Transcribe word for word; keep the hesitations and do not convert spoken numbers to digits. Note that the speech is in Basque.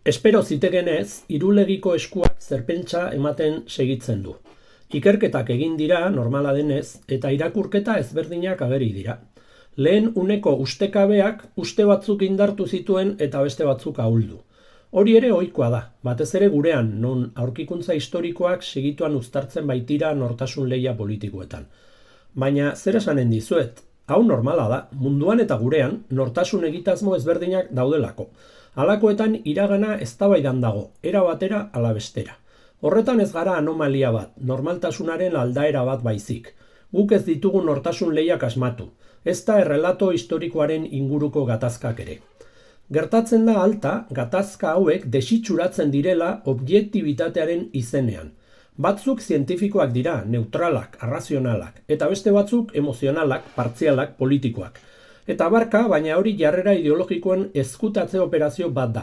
Espero zitegenez, irulegiko eskuak zerpentsa ematen segitzen du. Ikerketak egin dira, normala denez, eta irakurketa ezberdinak ageri dira. Lehen uneko ustekabeak uste batzuk indartu zituen eta beste batzuk ahuldu. Hori ere ohikoa da, batez ere gurean, non aurkikuntza historikoak segituan uztartzen baitira nortasun lehia politikoetan. Baina zer esanen dizuet, hau normala da, munduan eta gurean nortasun egitazmo ezberdinak daudelako. Halakoetan iragana eztabaidan dago, era batera ala bestera. Horretan ez gara anomalia bat, normaltasunaren aldaera bat baizik. Guk ez ditugu nortasun lehiak asmatu, ez da errelato historikoaren inguruko gatazkak ere. Gertatzen da alta, gatazka hauek desitxuratzen direla objektibitatearen izenean. Batzuk zientifikoak dira, neutralak, arrazionalak, eta beste batzuk emozionalak, partzialak, politikoak. Eta barka, baina hori jarrera ideologikoen ezkutatze operazio bat da,